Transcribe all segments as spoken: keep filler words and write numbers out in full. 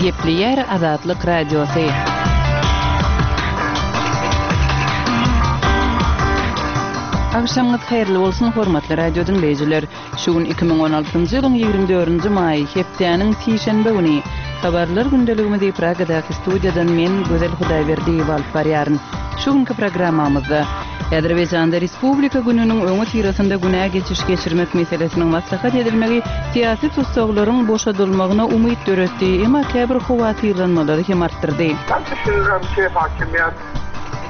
Gepleýär Azatlyk Radiosy. Agşamyňyz haýyrly bolsun, hormatly radio diňleýjiler! Şu gün iki müň on altynjy ýylyň ýigrimi dördünji maýy, hepdäniň sişenbe güni. Habarlar gündeligimizi Pragadaky studiýadan men, Gözel Hudaýberdiýewa alyp barýaryn. Şu günki programmamyzda, Azerbaýjanda Respublika gününiň öňüsyrasynda günä geçiş geçirmek meselesiniň maslahat edilmegi syýasy tussaglaryň boşadylmagyna umyt döretdi, emma käbir howatyrlanmalary hem artdyrdy. Mən düşünürəm ki, hakimiyyət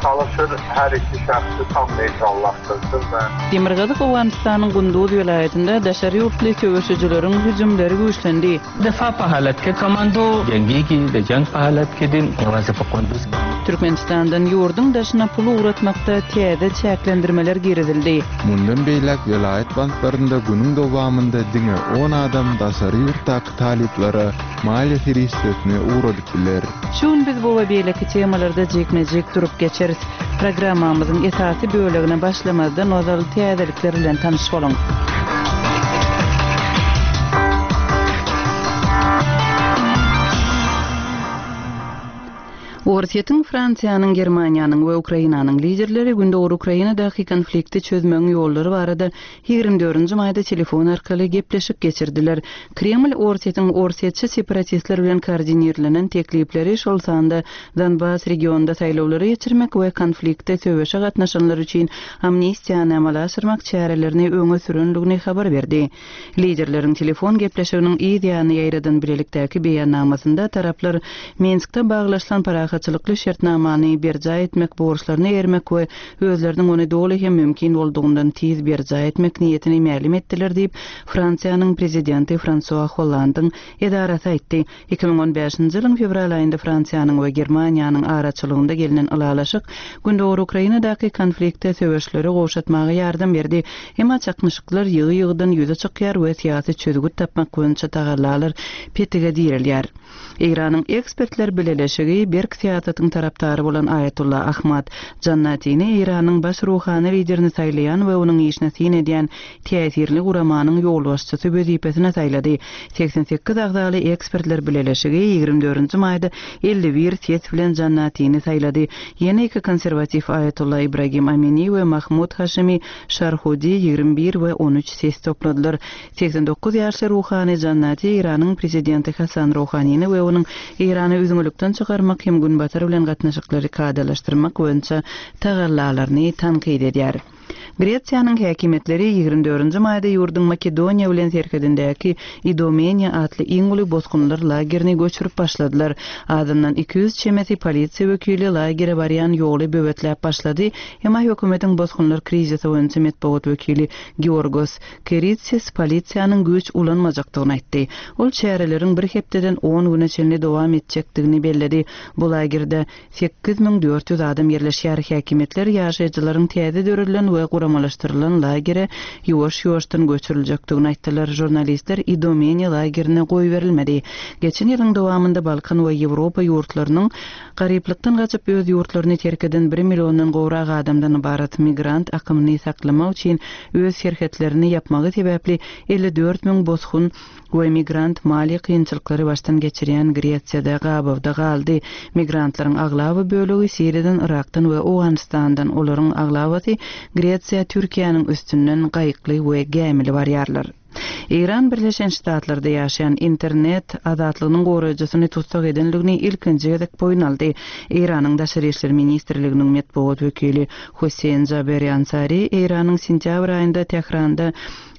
çalışır hər iki şəxsi tam neytrallaşdırsın və Demirgazyk Owganystanyň Gunduz welaýatynda daşary ýurtly söweşijileriň hüjümleri güýçlendi. دفاع په حالت کې کمانډو جنگيږي د جنگ په حالت کې دي یوازې په قندوز Türkmenistandan ýurduň daşyna pul ugratmakda täze çäklendirmeler girizildi. Mundan beýläk welaýat banklarynda günüň dowamynda diňe on adam daşary ýurtdaky talyplara maliýe serişdesini ugradyp biler. Şu gün biz bu we beýleki temalarda jikme-jik durup geçeris. Programmamyzyň esasy bölegine başlamazdan ozal täzelikler bilen tanyş boluň. Orsýetiň, Fransiýanyň, Germaniýanyň we Ukrainanyň liderleri Gündogar Ukrainadaky konflikti çözmegiň ýollary barada ýigrimi dördünji maýda telefon arkaly gepleşik geçirdiler. Kreml Orsýetiň orsýetçi separatistler bilen koordinirlenen teklipleri şol sanda Donbas regionunda saýlawlary geçirmek we konflikte söweşe gatnaşanlar üçin amnistiýany amala aşyrmak çärelerini öňe sürenligini habar berdi. Liderleriň telefon gepleşiginiň yz ýany ýaýradan bilelikdäki beýannamasynda taraplar Minskde baglaşylan parahatçylykly şertnamany berjaý etmek borçlaryny ermek we özleriniň ony doly hem mümkin boldugyny tiz berjaý etmek niýetini mälim etdiler diýip Fransiýanyň prezidenti François Hollandyň edarasy aýtdy. Iki müň on bäşinji ýylyň fewral aýynda Fransiýanyň we Germaniýanyň araçylygynda gelinen ylalaşyk Gündogar Ukrainadaky konflikte söweşleri gowşatmaga ýardam berdi. Emma çaknyşyklar ýygy-ýygydan ýüze çykýar we syýasy çözgüt tapmak boýunça tagallalar petige dirilýär. Eýranyň ekspertler bileleşigi berk syýasatyň tarapdary bolan Aýatullah Ahmad Jannatini Eýranyň baş ruhany liderini saýlaýan we onuň işine syn edýän täsirli guramanyň ýolbaşçysy wezipesine saýlady. Seksen sekiz agzaly ekspertler bileleşigi ýigrimi dördünji maýda elli bir ses bilen Jannatini saýlady. Ýene iki konserwativ Aýatullah Ibrahim Amini we Mahmud Haşimi Şarhudi ýigrimi bir we on üç ses topladylar. Seksen dokuz ýaşly ruhany Jannati Eýranyň prezidenti Hasan Ruhanini we onuň Eýrany üzňülikden çykarmak hem günbatar bilen gatnaşyklary kadalaşdyrmak boýunça tagallalaryny tankyt edýär. Gretsiýanyň häkimiýetleri ýigrimi dördünji maýda ýurduň Makedoniýa bilen serhedindäki Idomeniýa atly iň uly bosgunlar lagerini göçürip başladylar. Adyndan iki ýüz çemesi polisiýa wekili lagere barýan ýoly böwetläp başlady. Emma hökümetiň bosgunlar krizisi boýunça metbugat wekili Georgos Keritsis polisiýanyň güýç ulanmajakdygyny aýtdy. Ol çäreleriň bir hepdeden on güne çenli dowam etjekdigini belledi. Bu lagerde sekiz müň dört ýüz adam ýerleşýär. Häkimiýetler ýaşaýjylaryň täze döredilen we guramalaşdyrylan lagere ýuwaş-ýuwaşdan göçüriljekdigini aýtdylar. Žurnalistler Idomeniýa lagerine goý berilmedi. Geçen ýylyň dowamynda Balkan we Ýewropa ýurtlarynyň garyplykdan gaçyp öz ýurtlaryny terk eden bir milliondan gowrak adamdan ybarat migrant akymyny saklamak üçin öz serhetlerini ýapmagy sebäpli elli dört müň bosgun we migrant maliýe kynçylyklary başdan geçirýän Gretsiýada gabawda galdy. Migrantlaryň aglaba bölegi Siriýadan, Irakdan we Owganystandan, olaryň aglabasy Gretsiýa, Türkiýäniň üstünden gaýykly we gämili barýarlar. Eýran Birleşen Ştatlarda ýaşaýan internet azatlygynyň goraýjysyny tussag edenligini ilkinji gezek boýun aldy. Eýranyň Daşary İşler Ministrliginiň metbugat wekili Hüseýin Jaberi Ansari Eýranyň sentýabr aýynda Tähranda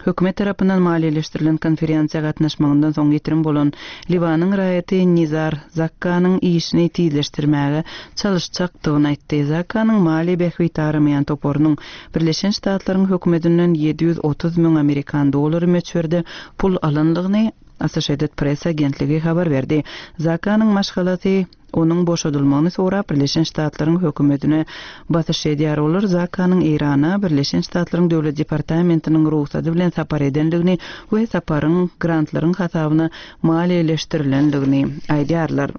hökümet tarapyndan maliýeleşdirilen konferensiýa gatnaşmagyndan soň ýitirim bolan Liwanyň raýaty Nizar Zakkanyň işini tizleşdirmäge çalyşjakdygyny aýtdy. Zakkanyň maliýe bähbit aramaýan toparynyň Birleşen Ştatlaryň hökümetinden ýedi ýüz otuz müň amerikan dollary möçberde pul alanlygyny Associated Press agentligi habar berdi. Zakkanyň maşgalasy onuň boşadylmagyny sorap Birleşen Ştatlaryň hökümetine basyş edýär. Olar Zakkanyň Eýrana Birleşen Ştatlaryň Döwlet Departamentiniň rugsady bilen sapar edenligini we saparyň grantlaryň hasabyna maliýeleşdirilenligini aýdýarlar.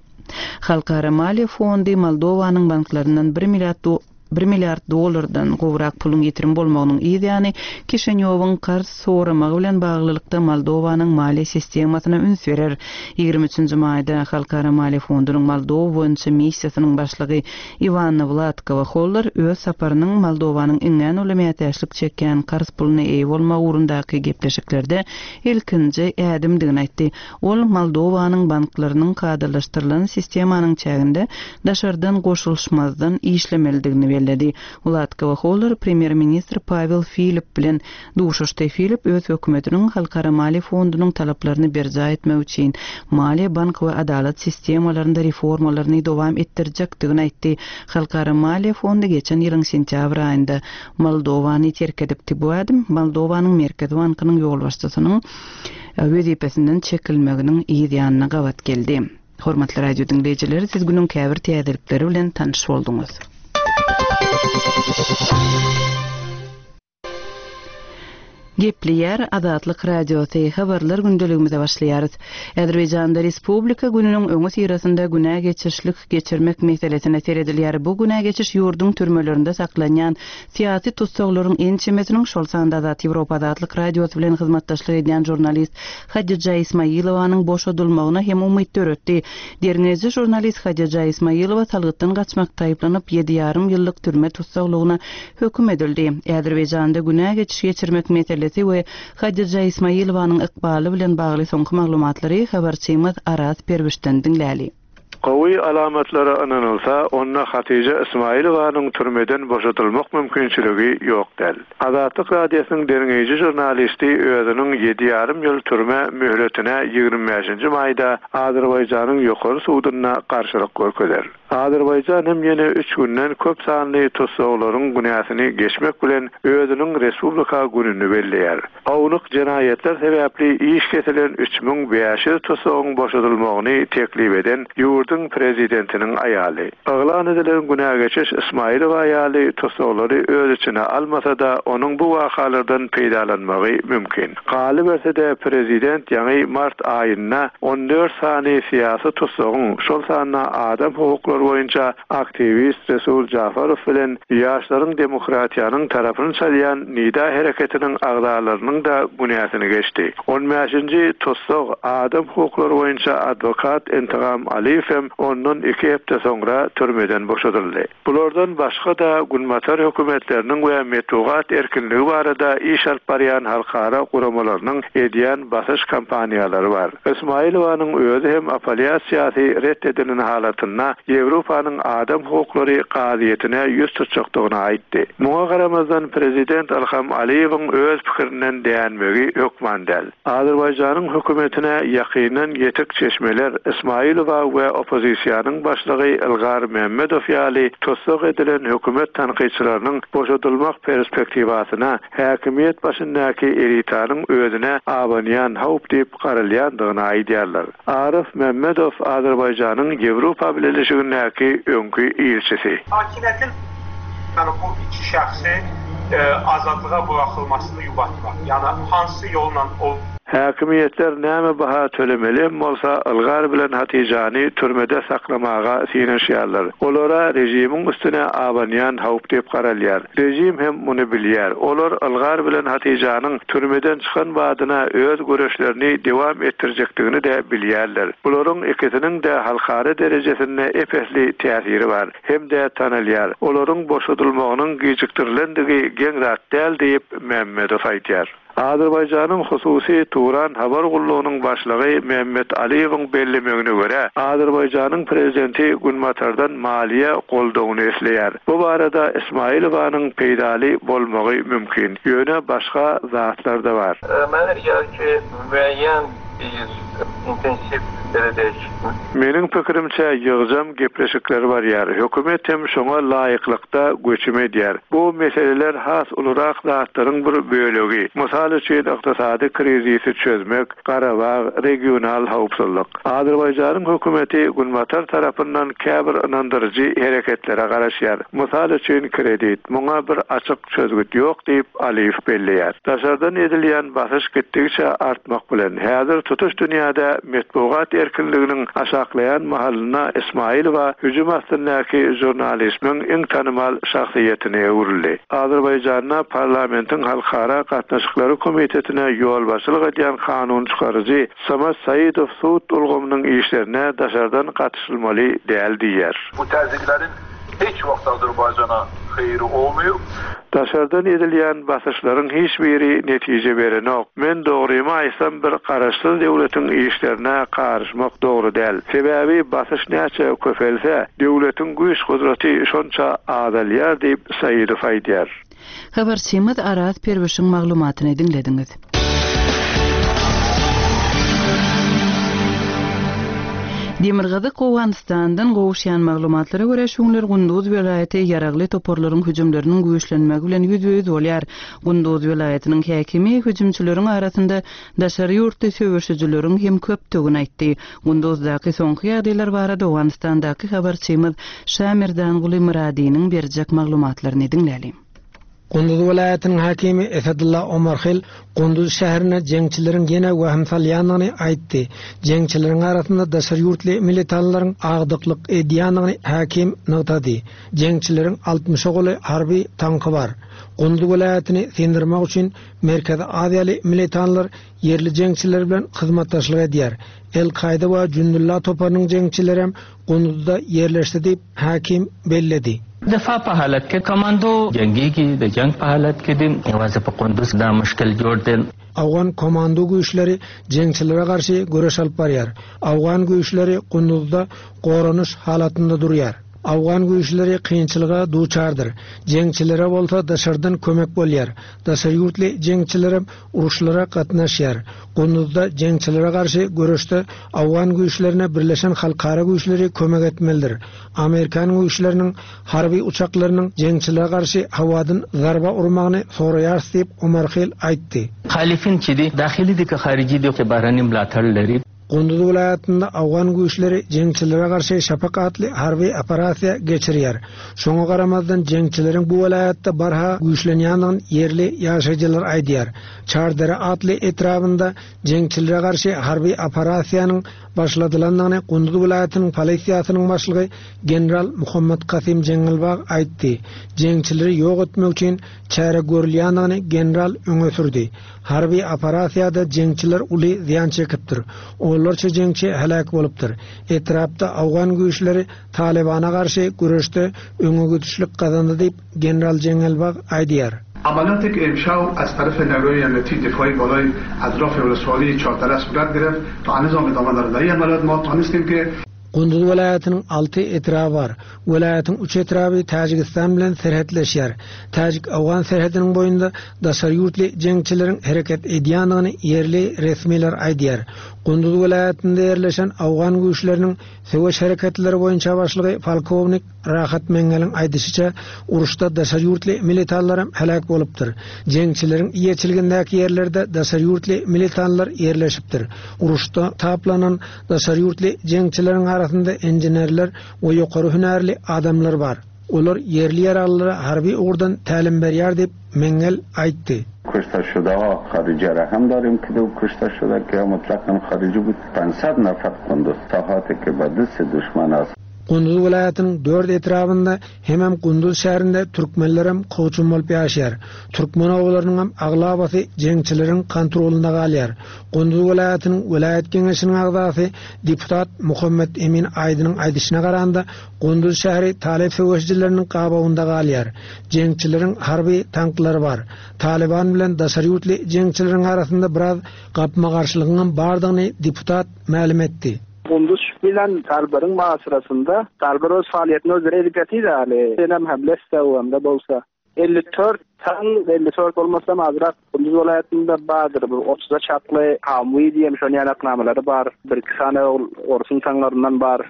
Halkara Maliýe Fondy Moldowanyň banklaryndan bir milliard bir milliard dollardan gowrak puluň ýitirim bolmagynyň ýany Kişinýowyň karz soramagy bilen baglylykda Moldowanyň maliýe sistemasyna üns berer. ýigrimi üçünji maýda Halkara Maliýe Fondunyň Moldowa boýunça missiýasynyň başlygy Iwanna Wladkowa Holler öz saparynyň Moldowanyň iňňän uly mätäçlik çekýän karz puluna eýe bolmagy ugrundaky gepleşiklerde ilkinji ädimdigini aýtdy. Ol Moldowanyň banklarynyň kadalaşdyrylan sistemanyň çäginde daşardan goşulyşmazdan işlemelidigini belledi. Wladkowa Holler premýer-ministr Pawel Filip bilen duşuşdy. Filip öz hökümetiniň Halkara Maliýe Fondunyň talaplaryny berjaý etmek üçin maliýe, bank we adalat sistemalarynda reformalaryny dowam etdirjekdigini aýtdy. Halkara Maliýe Fondy geçen ýylyň sentýabr aýynda Moldowany terk edipdi. Bu ädim Moldowanyň Merkezi bankynyň ýolbaşçysynyň wezipesinden çekilmeginiň yz ýanyna gabat geldi. Hormatly radio diňleýjiler, siz günüň käbir täzelikleri bilen tanyş bolduňyz. Gepleýär Azatlyk Radiosy habarlar gündeligimize başlaýarys. Azerbaýjanda Respublika gününiň öňi syrasynda günä geçişlik geçirmek meselesine seredilýär. Bu günä geçiş ýurduň türmelerinde saklanýan syýasy tussaglaryň ençemesiniň şol sanda Azat Ýewropa Azatlyk Radiosy bilen hyzmatdaşlyk edýän žurnalist Hadija Ismailowanyň boşadylmagyna hem umyt döretdi. Derňeýji žurnalist Hadija Ismailowa salgytdan gaçmakda aýyplanyp ýedi ýarym ýyllyk türme tussaglygyna höküm edildi. Azerbaýjanda günä geçiş geçirmek meselesi we Hadija Ismailowanyň ykbaly bilen bagly soňky maglumatlary habarçymyz Araz Perwişden diňläli. Gowy alamatlara ynanylsa, onda Hatija Ismailowanyň türmeden boşatylmak mümkinçiligi ýok däl. Azatlyk Radiosynyň derňeýji žurnalisti özüniň ýedi ýarym ýyl türme möhletine ýigrimi bäşinji maýda Azerbaýjanyň ýokary sudunda garşylyk görkezer. Azerbaýjan hem ýene üç günden köp sanly tussaglaryň günäsini geçmek bilen özüniň Respublika gününi belleýär. Ownuk jenaýatlar sebäpli iş kesilen üç müň bäş ýüz tussagyň boşadylmagyny teklip eden ýurduň prezidentiniň aýaly. Yglan edilen günä geçiş Ismailowa aýaly tussaglary öz içine almasa da onuň bu wakalardan peýdalanmagy mümkin. Galyberse-de prezident ýaňy mart aýynda on dört sany syýasy tussagyň, şol sanda adam hukuklary boýunça aktiwist Resul Jafarow bilen ýaşlaryň demokratiýanyň tarapyny çalýan Nida hereketiniň agzalarynyň da günäsini geçdi. On bäşinji tussag adam hukuklary boýunça adwokat Intigam Aliýew hem ondan iki hepde soňra türmeden boşadyldy. Bulardan başga da Günbatar hökümetleriniň we metbugat erkinligi barada iş alyp barýan halkara guramalarynyň edýän basyş kampaniýalary bar. Ismailowanyň özi hem apellýasiýasy ret edilen halatynda Ýewropanyň adam hukuklary kazyýetine ýüz tutjakdygyny aýtdy. Muňa garamazdan prezident Ilham Aliýewiň öz pikirinden dänmegi hökman däl. Azerbaýjanyň hökümetine ýakyndan ýetik çeşmeler Ismailowa we oppozisiýanyň başlygy Ilgar Mehmedow ýaly tussag edilen hökümet tankytçylarynyň boşadylmak perspektiwasyna häkimiýet başyndaky elitanyň özüne abanýan howp diýip garalýandygyny aýdýarlar. Arif Mehmedow Azerbaýjanyň Ýewropa Bileleşigindäki öňki ilçisi. Hakimiyyətin yəni bu iki şəxsi, e, azadlığa buraxılmasını yubatmaq. Yəni hansı yolla o Häkimiýetler näme baha tölemeli bolsa Ilgar bilen Hatijany türmede saklamaga synanyşýarlar. Olara režimiň üstüne abanýan howp diýip garalýar. Rejim hem muny bilýär. Olar Ilgar bilen Hatijanyň türmeden çykan badyna öz göreşlerini dowam etdirjekdigini de bilýärler. Bularyň ikisiniň de halkara derejesinde epesli täsiri bar. Hem de tanalýar. Olaryň boşadylmagynyň gijikdirilendigi geň zat däl diýip Mehmedow aýdýar. Azerbaýjanyň hususy Turan habar gullugynyň başlygy Mehmet Aliýewiň bellemegine görä, Azerbaýjanyň prezidenti Günbatardan maliýe goldawyny isleýär. Bu barada Ismailowanyň peýdaly bolmagy mümkin. Ýöne başga zatlar da bar. Mənə gəlir ki, müəyyən bir intensiv belə deyək. Meniň pikirimçe ýygjam gepleşikleri bar ýar. Hökümet hem şoňa laýyklykda göçüm edýär. Bu meseleler has ulurak zatlaryň bir bölegi. Mysal üçin ykdysady krizisi çözmek, Garabag regional howpsuzlyk. Azerbaýjanyň hökümeti Günbatar tarapyndan käbir ynandyryjy hereketlere garaşýar. Mysal üçin kredit. Muňa bir açyk çözgüt ýok diýip Aliýew belleýär. Daşardan edilýän basyş gitdikçe artmak bilen häzir tutuş dünýäde Dünýäde metbugat erkinliginiň aşaklaýan mahalynda Ismailowa hüjüm astyndaky žurnalizmiň iň tanymal şahsyýetine öwrüldi. Azerbaýjanda parlamentiň halkara gatnaşyklary komitetine ýolbaşçylyk edýän kanun çykaryjy Samad Saidow sud ulgamynyň işlerine daşardan gatyşylmaly däl diýer. Bu təzyiqlərin heç vaxt Azərbaycana xeyri olmuyor. Daşardan edilýän basyşlaryň hiç biri netije berenok. Men dogrymy aýtsam bir garaşsyz döwletiň işlerine garyşmak dogry däl. Sebäbi basyş näçe köpelse, döwletiň güýç gudraty şonça azalýar diýip Saidow aýdýar. Habarçymyz Araz Perwişiň maglumatyny diňlediňiz. Demirgazyk Owganystandan gowuşýan maglumatlara görä şuňlar Gunduz welaýaty ýaragly toparlaryň hüjümleriniň güýçlenmegi bilen ýüzbe-ýüz bolýar. Gunduz welaýatynyň häkimi hüjümçileriň arasynda daşary ýurtly söweşijileriň hem köpdügini aýtdy. Gunduzdaky soňky ýagdaýlar barada Owganystandaky habarçymyz Şamirdanguly Myradynyň berjek maglumatlaryny diňlälim. Gunduz welaýatynyň häkimi Esedullah Omarhil Gunduz şäherine jeňçileriň ýene wahym salýandygyny aýtdy. Jeňçileriň arasynda daşary ýurtly militanlaryň agdyklyk edýändigini häkim nygtady. Jeňçileriň altmyş goly harby tanky bar. Gunduz welaýatyny syndirmek üçin Merkezi Aziýaly militanlar ýerli jeňçiler bilen hyzmatdaşlyk edýär. El-Kaýda we Jundullah toparynyň jeňçileri hem Gunduzda ýerleşdi diýip häkim belledi. دفاع په حالت کې کمانډو جنگيږي د جنگ په حالت کې دي یوازې په قندوز دا مشکل جوړ دی. Afgan komando güýçleri jeňçilere garşy göreş alyp barýar. Afgan güýçleri Gunduzda goranyş halatynda durýar. Afgan güýçleri kynçylyga duçardyr. Jeňçilere bolsa daşardan kömek bolýar. Daşary ýurtly jeňçiler uruşlara gatnaşýar. Gunduzda jeňçilere garşy göreşde Afgan güýçlerine birleşen halkara güýçleri kömek etmelidir. Amerikan güýçleriniň harby uçaklarynyň jeňçilere garşy hawadan zarba urmagyny soraýar diýip Omarhil aýtdy. Muxalifin چې دي داخلي دي که خارجي دي چې بهرني ملاتړ لري. Gunduz welaýatynda Afgan güýçleri jeňçilere garşy şapak atly harby operasiýa geçirýär. Şoňa garamazdan jeňçileriň bu welaýatda barha güýçlenýändigini ýerli ýaşaýjylar aýdýar. Çardere atly etrabynda jeňçilere garşy harby operasiýanyň başladylandygyny Gunduz welaýatynyň polisiýasynyň başlygy general Muhammad Kasim Jeňňelbag aýtdy. Jeňçileri ýok etmek üçin çäre görülýändigini general öňe sürdi. Harby operasiýada jeňçiler uly zyýan çekipdir. Onlarça jeňçi helak bolupdyr. Etrapda Afgan güýçleri Talibana garşy göreşde öňe gidişlik gazandy diýip general Jeňňelbag aýdýar. عملیاتی که امشب از طرف نیروی امنیتی دفاعی بالای اطراف ولسوالی چهارتره صورت گرفت تا هنوز هم ادامه دارد. در این عملیات ما تانستیم که Gunduz welaýatynyň alty etraby bar. Welaýatyň üç etraby Täjigistan bilen serhetleşýär. Täjik Afgan serhediniň boýunda daşary ýurtly jeňçileriň hereket edýändigini ýerli resmiler aýdýar. Gunduz welaýatynda ýerleşen Afgan güýçleriniň söweş hereketleri boýunça başlygy polkownik Rahat Mengeliň aýdyşyça uruşda daşary ýurtly militanlar hem helak bolupdyr. Jeňçileriň eýeçiligindäki ýerlerde daşary ýurtly militanlar ýerleşipdir. Uruşda taplanan daşary ýurtly jeňçileriň arasynda inženerler we ýokary hünärli adamlar bar. Olar ýerli ýaraglylara harby ugurdan tälim berýär diýip Mengel aýtdy. کشته شده ها خارجی را هم داریم که دو کشته شده که مطلقاً خارجی بود. پانصد نفر قندوز ساحاتی که به دست دشمن است. Gunduz welaýatynyň dört etrabynda hemem Gunduz şäherinde türkmenler hem kowçum bolup ýaşaýar. Türkmen obalarynyň hem aglabasy jeňçileriň kontrolynda galýar. Gunduz welaýatynyň welaýat geňeşiniň agzasy deputat Muhammed Emin Aýdynyň aýdyşyna garanda Gunduz şäheri Talip söweşijileriniň gabawynda galýar. Jeňçileriň harby tanklary bar. Taliban bilen daşary ýurtly jeňçileriň arasynda biraz gapma-garşylygyň hem bardygyny deputat mälim etdi. Gunduz bilen Talbar'ın muhasırasında Talbar öz faaliyetini özleri edip yatıydı hali. Hem hamleste o hem de bolsa. elli dört tan elli dört olmasa azrak Gunduz vilayetinde bardır. Bu otuza çaklı Hamwi diye şonu yanaknamaları var. Bir iki tane orsun tanlarından var.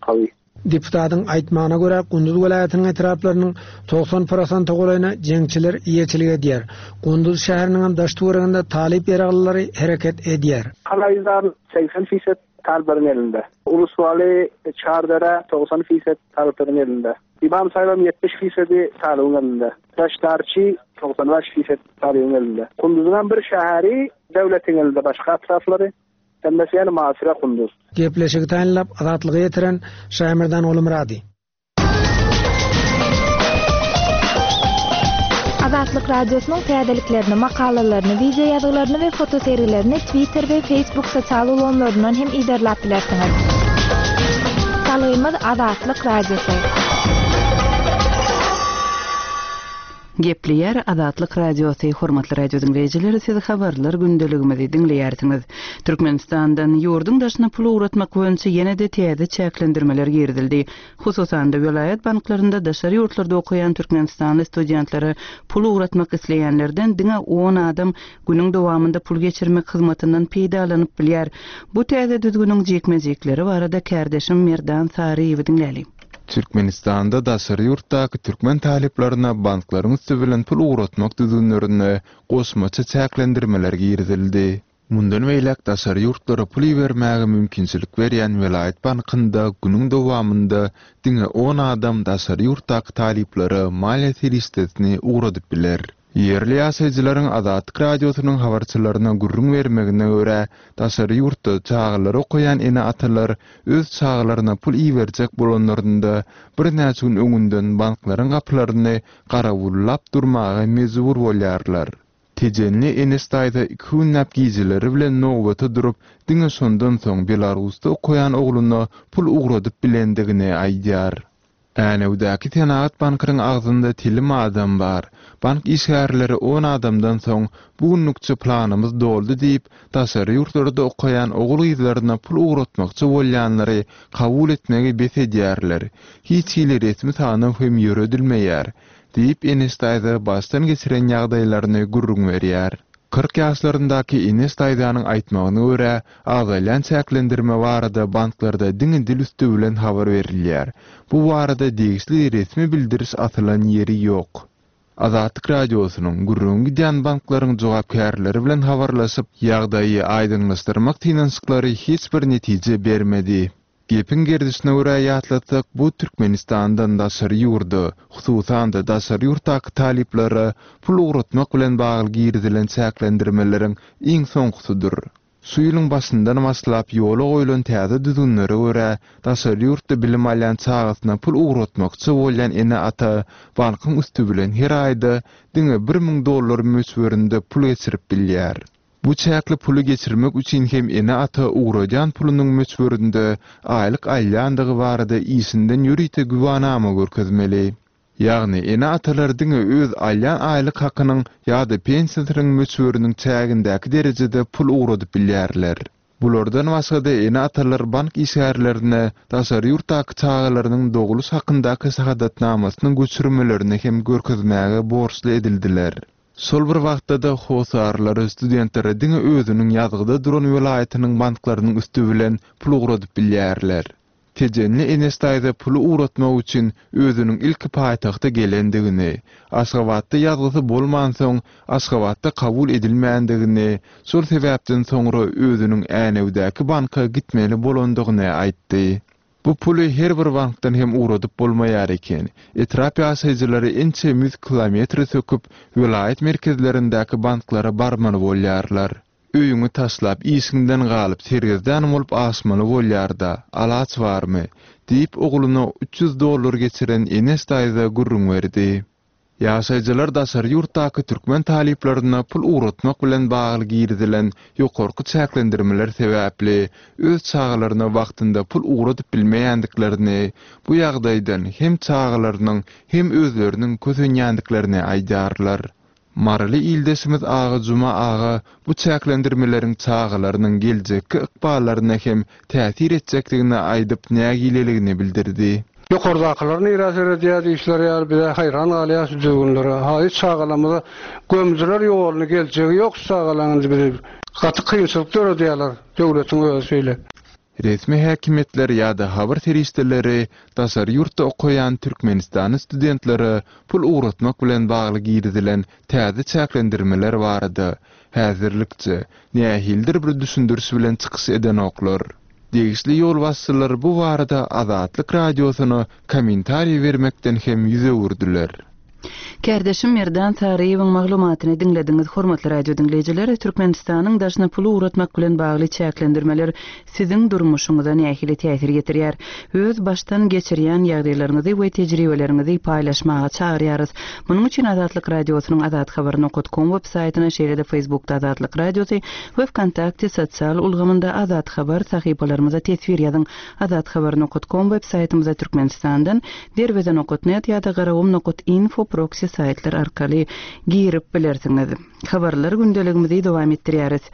Kavi. Deputatyň aýtmagyna görä Gunduz welaýatynyň etraplarynyň togsan prosent golaýyna jeňçiler eýeçilik edýär. Gunduz şäheriniň hem daş töwereginde Talip ýaraglylary hereket edýär. Kalaýzar seksen fisat Talbar'ın elinde. Ulusvali Çardara togsan fisat Talbar'ın elinde. İmam Saybam yetmiş fisadi Talib'in elinde. Taşlarçı togsan beş fisat Talib'in elinde. Kunduz'un bir şehri devletin elinde, başka etrafları Hemmesi ýaly muhasara Kunduz. Gepleşigi taýynlap Azatlyga ýetiren Şaýmerdan Gulmyrady. Azatlyk Radiosynyň täzeliklerini, makalalaryny, wideo ýazgylaryny we fotosergilerini Twitter we Facebook sosial ulgamlaryndan hem yzarlap bilersiňiz. Salgymyz Azatlyk Radiosy. Gepleýär Azatlyk Radiosy, hormatly radio diňleýjiler, siz habarlar gündeligimizi diňleýärsiňiz. Türkmenistandan ýurduň daşyna pul ugratmak boýunça ýene-de täze çäklendirmeler girizildi. Hususan-da welaýat banklarynda daşary ýurtlarda okaýan Türkmenistanly studentlere pul ugratmak isleýänlerden diňe on adam günüň dowamynda pul geçirmek hyzmatyndan peýdalanyp bilýär. Bu täze düzgüniň jikme-jikleri barada kärdeşim Merdan Saryýewi diňläli. Türkmenistanda daşary ýurtdaky türkmen talyplaryna banklaryň üsti bilen pul ugratmak düzgünlerine goşmaça çäklendirmeler girizildi. Mundan beýläk daşary ýurtlara pul ibermäge mümkinçilik berýän welaýat bankynda günüň dowamynda diňe on adam daşary ýurtdaky talyplara maliýe serişdesini ugradyp biler. Ýerli ýaşaýjylaryň Azatlyk Radiosynyň habarçylaryna gürrüň bermegine görä, daşary ýurtda çagalary okaýan ene-atalar öz çagalaryna pul iberjek bolanlarynda birnäçe gün öňünden banklaryň gapylaryny garawullap durmaga mejbur bolýarlar. Tejenli Enes daýza iki günläp gijeleri bilen nowbata durup, diňe şondan soň Belarusda okaýan ogluna pul ugradyp bilendigini aýdýar. Änewdäki Senagat bankynyň agzynda telim adam bar. Bank işgärleri on adamdan soň bu günlükçe planymyz doldy diýip, daşary ýurtlarda okaýan ogul gyzlaryna pul ugratmakçy bolýanlary kabul etmegi bes edýärler. Hiç hili resmi sanaw hem ýöredilmeýär, diýip Enes daýza başdan geçiren ýagdaýlaryny gürrüň berýär. Kyrk ýaşlaryndaky Enes daýzanyň aýtmagyna görä, azalýan çäklendirme barada banklarda diňe dil üsti bilen habar berilýär. Bu barada degişli resmi bildiriş asylan ýeri ýok. Azatlyk Radiosynyň gürrüň gidýän banklaryň jogapkärleri bilen habarlaşyp, ýagdaýy aýdyňlaşdyrmak synanyşyklary hiç bir netije bermedi. Gepiň gerdişine görä ýatlatsak, bu Türkmenistandan daşary ýurda, hususan-da daşary ýurtdaky talyplara pul ugratmak bilen bagly girizilen çäklendirmeleriň iň soňkusydyr. Şu ýylyň başyndan başlap ýola goýlan täze düzgünlere görä, daşary ýurtda bilim alýan çagasyna pul ugratmakçy bolýan ene-ata bankyň üsti bilen her aýda diňe bir müň dollar möçberinde pul geçirip bilýär. Bu çäkli puly geçirmek üçin hem ene-ata ugradýan pulunyň möçberinde aýlyk alýandygy barada işinden ýörite güwanama görkezmeli. Ýagny ene-atalar diňe öz alýan aýlyk hakynyň ýa-da pensiýasynyň möçberiniň çägindäki derejede pul ugradyp bilýärler. Bulardan başga-da ene-atalar bank işgärlerine daşary ýurtdaky çagalarynyň doguluş hakyndaky şahadatnamasynyň göçürmelerini hem görkezmäge borçly edildiler. Şol bir wagtda-da hosarlary studentlere diňe özüniň ýazgyda duran welaýatynyň banklarynyň üsti bilen pul ugradyp bilýärler. Tejenli Enes daýza puly ugratmak üçin özüniň ilki paýtagta gelendigini, Aşgabatda ýazgysy bolmansoň Aşgabatda kabul edilmändigini, şol sebäpden soňra özüniň Änewdäki banka gitmeli bolandygyny aýtdy. Bu puly her bir bankdan hem ugradyp bolmaýar eken. Etrap ýaşaýjylary ençe ýüz kilometre söküp, welaýat merkezlerindäki banklara barmaly bolýarlar. Öýüňi taşlap, işiňden galyp, sergezdan bolup aşmaly bolýar-da, alaç barmy? Diýip ogluna üç ýüz dollar geçiren Enes daýza gürrüň berdi. Ýaşaýjylar daşary ýurtdaky türkmen talyplaryna pul ugratmak bilen bagly girizilen ýokarky çäklendirmeler sebäpli öz çagalaryna wagtynda pul ugradyp bilmeýändiklerini, bu ýagdaýdan hem çagalarynyň hem özleriniň kösenýändiklerini aýdýarlar. Maryly ildeşimiz Aga Juma aga bu çäklendirmeleriň çagalarynyň geljekki ykballaryna hem täsir etjekdigini aýdyp nägileligini bildirdi. Ýokardakylar nirä seredýär diýişler ýaly bize haýran galýar şu düzgünlere. Haý çagalarymyza gömdüler ýoluny geljegi ýok şu çagalaryň bizi gaty kynçylyk döredýärler döwletiň özi şeýle. Resmi häkimiýetler ýa-da habar serişdeleri daşary ýurtda okaýan Türkmenistanyň studentlere pul ugratmak bilen bagly girizilen täze çäklendirmeler barada häzirlikçe nähilidir bir düşündiriş bilen çykyş edenoklar. Degişli ýolbaşçylar bu barada Azatlyk Radiosyna kommentariý bermekden hem ýüz öwürdiler. Kärdeşim Merdan Saryýewiň maglumatyny diňlediňiz. Hormatly radio diňleýjiler, Türkmenistanyň daşyna pul ugratmak bilen bagly çäklendirmeler siziň durmuşyňyza nähili täsir ýetirýär? Öz başdan geçirýän ýagdaýlaryňyzy we tejribeleriňizi paýlaşmaga çagyrýarys. Munuň üçin Azatlyk Radiosynyň azathabar nokta com web saýtyna, şeýle-de Facebookda Azatlyk Radiosy we VKontakte sosial ulgamynda Azat Habar sahypalarymyza teswir ýazyň. Azathabar nokta com web saýtymyza Türkmenistandan derweze nokta net ýa-da garagum nokta info proxy saýtlar arkaly girip bilersiňiz. Habarlar gündeligimizi dowam etdirýäris.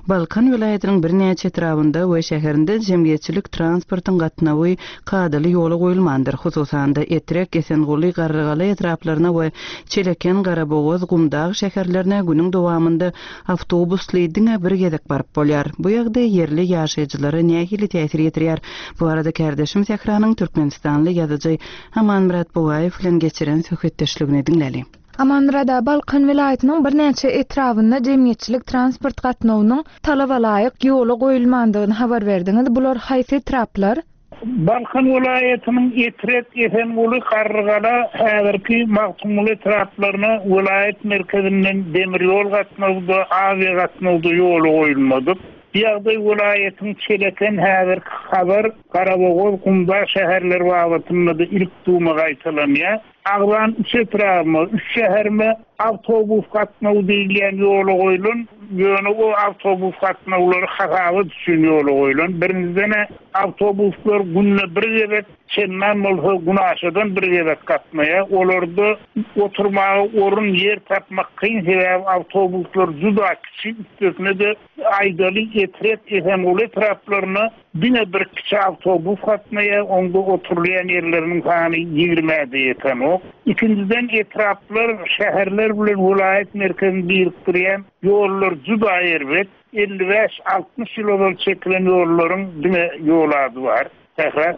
Balkan welaýatynyň birnäçe etrabynda we şäherinde jemgyýetçilik transportyň gatnawy kadaly ýola goýulmandyr. Hususan-da Etrek, Esenguly, Garrygala etraplaryna we Çeleken, Garabogaz, Gumdag şäherlerine günüň dowamynda awtobusly diňe bir gezek baryp bolýar. Bu ýagdaý ýerli ýaşaýjylara nähili täsir ýetirýär? Bu arada kärdeşim Sähranyň Türkmenistanly ýazyjy Amanmyrat Bugaýew bilen geçiren söhbetdeşligini diňläli. Amanmyrada, Balkan welaýatynyň birnäçe etrabynda jemgyýetçilik transport gatnawynyň talaba laýyk ýola goýulmandygyny habar berdiňiz. Bular haýsy etraplar? Balkan welaýatynyň Etrek, Esenguly, Garrygala, häzirki Magtymguly etraplaryna welaýat merkezinden demir ýol gatnawda, awiýa gatnawda ýola goýulmadyk. Bu ýagdaý welaýatyň Çeleken, häzirki Hazar, Garabogaz, Gumdag şäherleri babatynda-da ilk duma gaýtalanýar. Agzan üç etrabyma, üç şäherime awtobus gatnawy diýilýän ýola goýulan, ýöne o awtobus gatnawlary hasabat üçin ýola goýulan. Birinciden awtobuslar günde bir gezek, çendan bolsa günaşadan bir gezek gatnaýar. Olarda oturmaga orun ýer tapmak kyn, sebäbi awtobuslar juda kiçi, üstesine de aýdaly Etrek, Esenguly etraplaryna diňe bir kiçi awtobus gatnaýar, onda oturylýan ýerleriniň sany ýigrimä-de ýetenok. Ikinciden etraplar şäherler bilen welaýat merkezini birikdirýän ýollar juda erbet. elli bäş altmyş ýyl ozal çekilen ýollaryň diňe ýol ady bar. Sähra.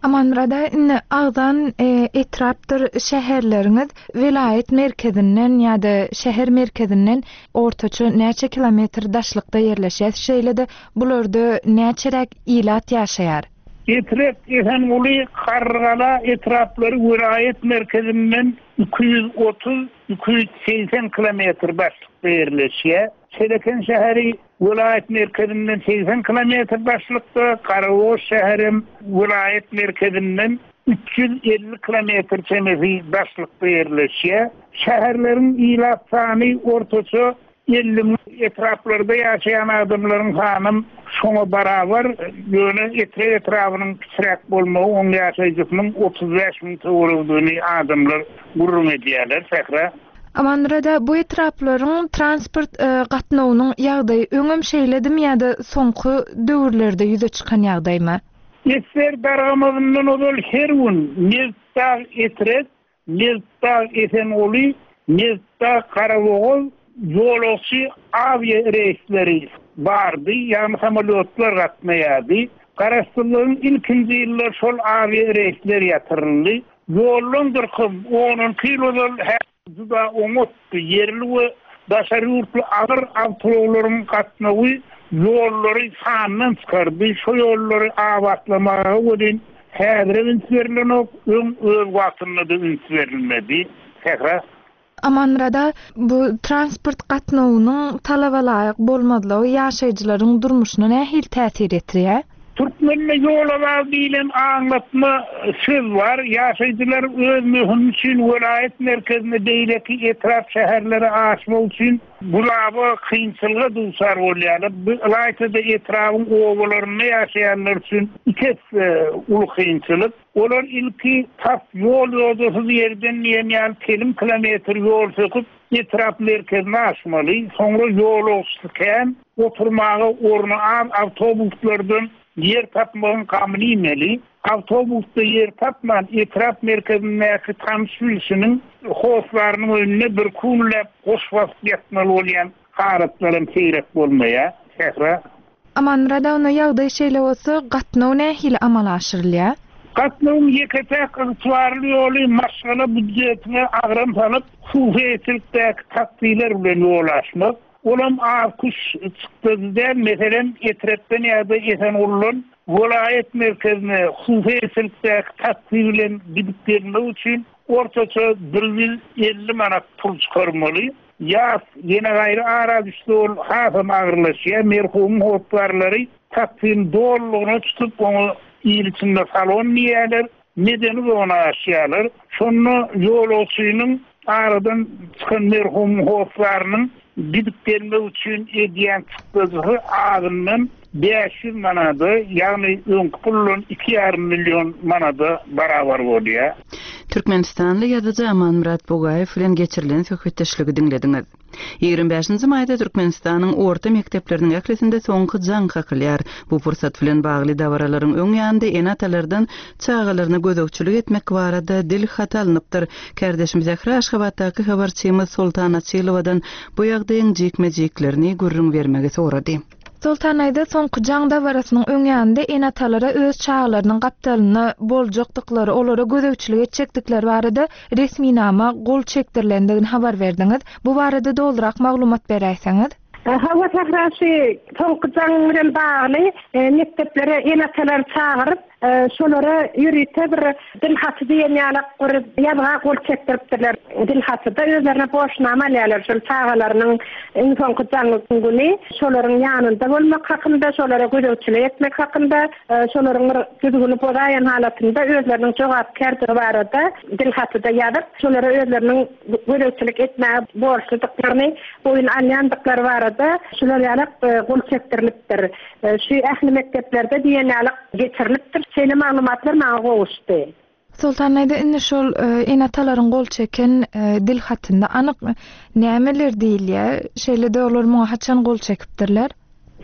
Amanmyrada, indi agzan, e, etrapdyr şäherleriňiz welaýat merkezinden ýa-da şäher merkezinden ortaça näçe kilometr daşlykda ýerleşýär? Şeýle-de bularda näçeräk ilat ýaşaýar? Etrek, Esenguly, Garrygala etraplary welaýat merkezinden iki ýüz otuz, iki ýüz segsen kilometr daşlykda ýerleşýär. Çeleken şäheri welaýat merkezinden segsen kilometr daşlykda, Garabogaz şäherem welaýat merkezinden üç ýüz elli kilometr çemesi daşlykda ýerleşýär. Şäherleriň ilat sany ortaça elli müň, etraplarda ýaşaýan adamlaryň sany şoňa barabar, ýöne Etrek etrabynyň kiçiräk bolmagy oň ýaşaýjysynyň otuz bäş müň töweregini adamlar gürrüň edýärler, Sähra. Amanmyrada, bu etraplaryň transport, e, gatnawynyň ýagdaýy öňem şeýledimi ýa-da soňky döwürlerde ýüze çykan ýagdaýmy? Esger dargamazyndan ozal her gün Nebitdag Etrek, Nebitdag Esenguly, Nebitdag Garabogaz ýolagçy awiýa reýsleri bardy, ýagny samolýotlar gatnaýardy. Garaşsyzlygyň ilkinji ýyllar şol awiýa reýsler ýatyryldy. Ýoldan dyrkym on iki ýyl ozal juda oňatdy. Ýerli we daşary ýurtly agyr awtoulaglaryň gatnawy ýollary sandan çykardy. Şo ýollary abatlamaga welin häzir üns berilenok, öň öz wagtynda-da üns berilmedi. Sähra. Amanmyrada, bu transport gatnawynyň talaba laýyk bolmazlygy ýaşaýjylaryň durmuşyna nähili täsir etdirýär? Türkmende ýola bar diýlen aňlatma söz bar. Ýaşaýjylar öz möhüm üçin welaýat merkezine, beýleki etrap şäherlere aşmak üçin gulaba kynçylyga duçar bolýarlar. Bu ylaýta-da etrabyň obalarynda ýaşaýanlar üçin iki esse uly kynçylyk. Olar ilki tas ýol ýodasyz ýerden diýen ýaly telim kilometr ýol söküp etrap merkezine aşmaly. Soňra ýolagçysy kän, oturmaga orny az awtobuslardan ýer tapmagyň gamyny iýmeli. Awtobusda ýer tapman etrap merkezindäki tanyş bilişiniň hoslarynyň önüne bir kunläp goş basyp ýatmaly bolýan halatlaram seýrek bolmaýar. Sähra. Amanmyrada, onda ýagdaý şeýle bolsa, gatnaw nähili amala aşyrylýar? Gatnawyň ýeke-täk ygtybarly ýoly maşgala býujetine agram salyp, hususyýetçilikdäki taksiler bilen ýol aşmak. Olam az kuş çykdy däl, meselem, Etrekden ýa-da Esengulydan welaýat merkezine hususyýetçilikdäki taksi bilen gidip gelmek üçin Ortaça bir ýüz elli manat pul çykarmaly. Ýas ýene gaýry ara düşse ol hasam agyrlaşýar. Merhumyň hossarlary taksini dolulygyna tutup oňa il içinde salon diýýärler, medeni zona aşýarlar. Şonda ýolagçynyň aradan çykan merhumyň hossarynyň gidip gelmek üçin edýän çykdajysy azyndan bäş ýüz manada, ýagny öňki puldan iki ýarym million manada barabar bolýar. Türkmenistanly ýazyjy Amanmyrat Bugaýew bilen geçirilen söhbetdeşligi diňlediňiz. Ýigrimi bäşinji maýda Türkmenistanyň orta mekdepleriniň ählisinde soňky jaň kakylýar. Bu pursat bilen bagly dabaralaryň öň ýanynda ene-atalardan çagalaryna gözegçilik etmek barada dil haty alnypdyr. Kardeşim Zähra Aşgabatdaky habarçymyz Soltan Açylowadan bu ýagdaýyň jikme-jiklerini gürrüň bermegi sorady. Soltan aýda soňky jaň dabarasynyň öň ýanynda ene-atalara öz çagalarynyň gapdalyna boljakdyklary, olara gözegçilik etjekdikleri barada resminama gol çekdirilendigini habar berdiňiz. Bu barada dolurak maglumat beräýseňiz. Hawa Sährası soňky jaň bilen bagly, e, mekdeplere ene-atalar çagyryp, e, şolara ýörite bir dil haty diýen ýaly bir ýazga gol çekdiripdirler. Dil hatyda özlerine borçnama alýarlar. Şol çagalarynyň iň soňky jaň güni şolaryň ýanynda bolmak hakynda, şolara gözegçilik etmek hakynda, e, şolaryň bir düzgüni bozaýan halatynda özleriniň jogapkärdigi barada dil hatyda ýazyp, şolara özleriniň gözegçilik etmäge borçludyklaryny boýun alýandyklary barada şular ýaly, e, gol çekdirilipdir. E, şu ähli mekdeplerde diýen ýaly geçirilipdir. Şeýle maglumatlar maňa gowuşdy. Soltan aýda indi şol, e, ene-atalaryň gol çeken, e, dil hatynda anyk nämeler diýilýär? Şeýle-de olar muňa haçan gol çekipdirler?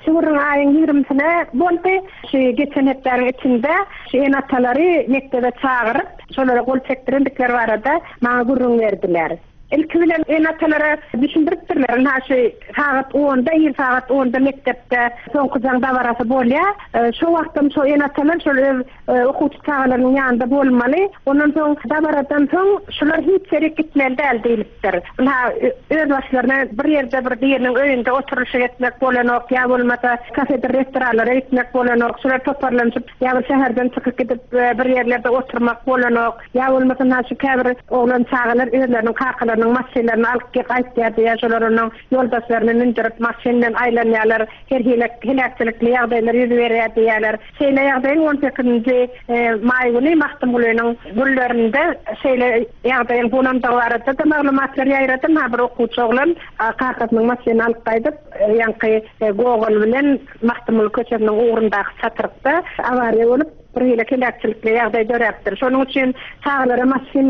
Şu ýylyň aýyň ýigrimisine boldy. Şu geçen hepdäniň içinde şu ene-atalary mekdebe çagyryp, şolara gol çekdirendikleri barada maňa gürrüň berdiler. Ilki bilen ene-atalara düşündiripdirler. Ynha şu sagat onda, ir sagat onda mekdepde soňky jaň dabarasy bolýar. E, şu wagtdan şo ene-atalar şol öz, e, okuwçy çagalarynyň ýanynda bolmaly. Ondan soň dabaradan soň şular hiç ýere gitmeli däl diýilipdir. Ynha, ö-, öz başlaryna bir ýerde bir biriniň öýünde oturyşyk etmek bolanok, ýa bolmasa kafedir restoranlara gitmek bolanok. Şular toparlanyp, ýa bir şäherden çykyp gidip, e, bir ýerlerde oturmak bolanok. Ýa bolmasa ynha şu käbir oglan çagalar özleriniň kakalarynyň maşynlaryny alyp gelip gaýtýar diýýär. Şolar onuň ýoldaşlaryny mündürip maşyndan aýlanýarlar. Her hili heläkçilikli ýagdaýlar ýüz berýär diýýärler. Şeýle ýagdaýyň on sekizinji, e, maý güni Magtymgulynyň güllerinde şeýle ýagdaýyň bolandygy barada da maglumatlar ýaýradym. Ha bir okuwçy oglan, a, kakasynyň maşynyny alyp gaýdyp, e, ýaňky, e, Gogol bilen Magtymguly köçesiniň ugrundaky çatyrykda awariýa bolup, bir hili heläkçilikli ýagdaý döräpdir. Şonuň üçin çagalara maşyn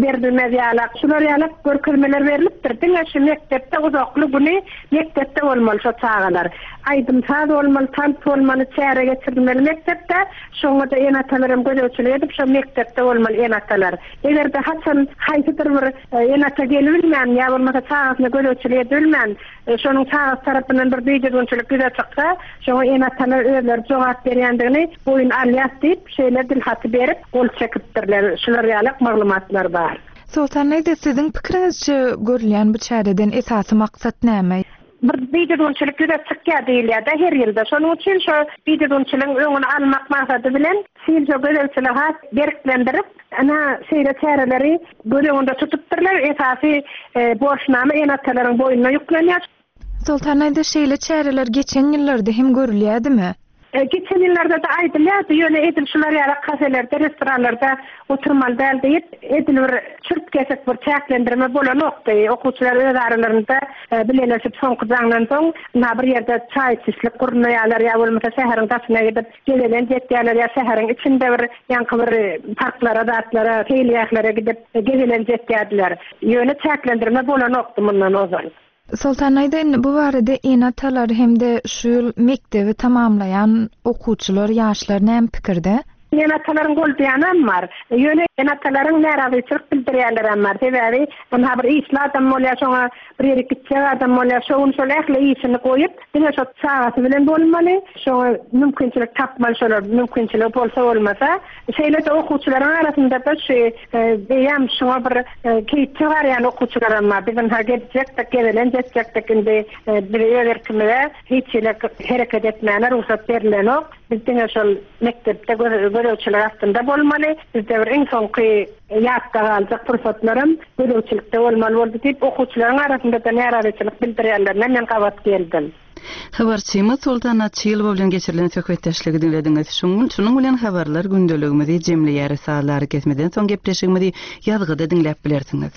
berilmez ýaly, şular ýaly görkezmeler berilipdir. Diňe şu mekdepde uzakly güni mekdepde bolmaly şo çagalar. Aýdym saz bolmaly, tans bolmaly, çäre geçirilmeli mekdepde. Şoňa da ene-atalar hem gözegçilik edip şo mekdepde bolmaly ene-atalar. Eger-de haçan haýsydyr bir, e, ene-ata gelibilmän ýa bolmasa çagasyna gözegçilik edilmän, e, şonuň çagasy tarapyndan bir bidüzgünçilik ýüze çyksa, şoňa ene-atalar özleri jogap berýändigini boýun alýar diýip, şeýle dil haty berip gol çekipdirler. Şular ýaly maglumatlar bar. Soltan aýda, siziň pikiriňizçe görülýän bu çäreden esasy maksat näme? Bir bidüzgünçilik ýüze çykýar diýilýär-de her ýylda. Şonuň üçin şo bidüzgünçiligiň öňüni almak maksady bilen şeýle gözegçiligi has berklendirip, ana şeýle çäreleri göz öňünde tutupdyrlar. Esasy, e, borçnama ene-atalaryň boýnuna ýüklenýär. Soltan aýda, şeýle çäreler geçen ýyllarda hem görülýärdimi? E, geçen ýyllarda da aýdylýardy, ýöne edil şular ýaly kafelerde, restoranlarda oturmaly däl diýip, edil bir çürt kesik bir çäklendirme bolanokdy. Okuwçylar öz aralarynda, e, bileleşip soňky jaňdan soň ynha bir ýerde çaý içişlik gurnaýarlar, ýa bolmasa şäheriň daşyna gidip gezelenç etýärler, ýa şäheriň içinde bir ýaňky bir parklara, zatlara, seýilgählere gidip gezelenç etýärdiler. Ýöne çäklendirme bolanokdy mundan ozal. Soltan aýda, indi bu barada ene-atalar hem-de şu ýyl mekdebi tamamlaýan okuwçylar, ýaşlar näme pikirde? Ene-atalaryň goldaýanam bar. Ýöne ene-atalaryň närazyçylyk bildirýänlerem bar. Sebäbi ynha bir işli adam bolýar, şoňa bir ýere gitjek adam bolýar, şo gün şol ähli işini goýup, diňe şo çagasy bilen bolmaly, şoňa mümkinçilik tapmaly, şolar mümkinçiligi bolsa bolmasa. Şeýle-de okuwçylaryň arasynda da şu, e, eýýäm şoňa bir, e, keýpli garýan okuwçylaram bar. Biz ynha gezjekdik, gezelenç etjekdik, indi, e, bize öz erkimize hiç hili hereket etmäne rugsat berilenok Biz diňe şol mekdepde gözegçilik astynda bolmaly. Bizde bir iň soňky ýatda galjak pursatlarym gözegçilikde bolmaly boldy diýip, okuwçylaryň arasynda-da närazyçylyk bildirýänlerine men gabat geldim. Habarçymyz Soltan Açylowa bilen geçirilen söhbetdeşligi diňlediňiz. Şunuň bilen habarlar gündeligimizi jemleýäris. Sazlary kesmeden soň gepleşigimizi ýazgyda diňläp bilersiňiz.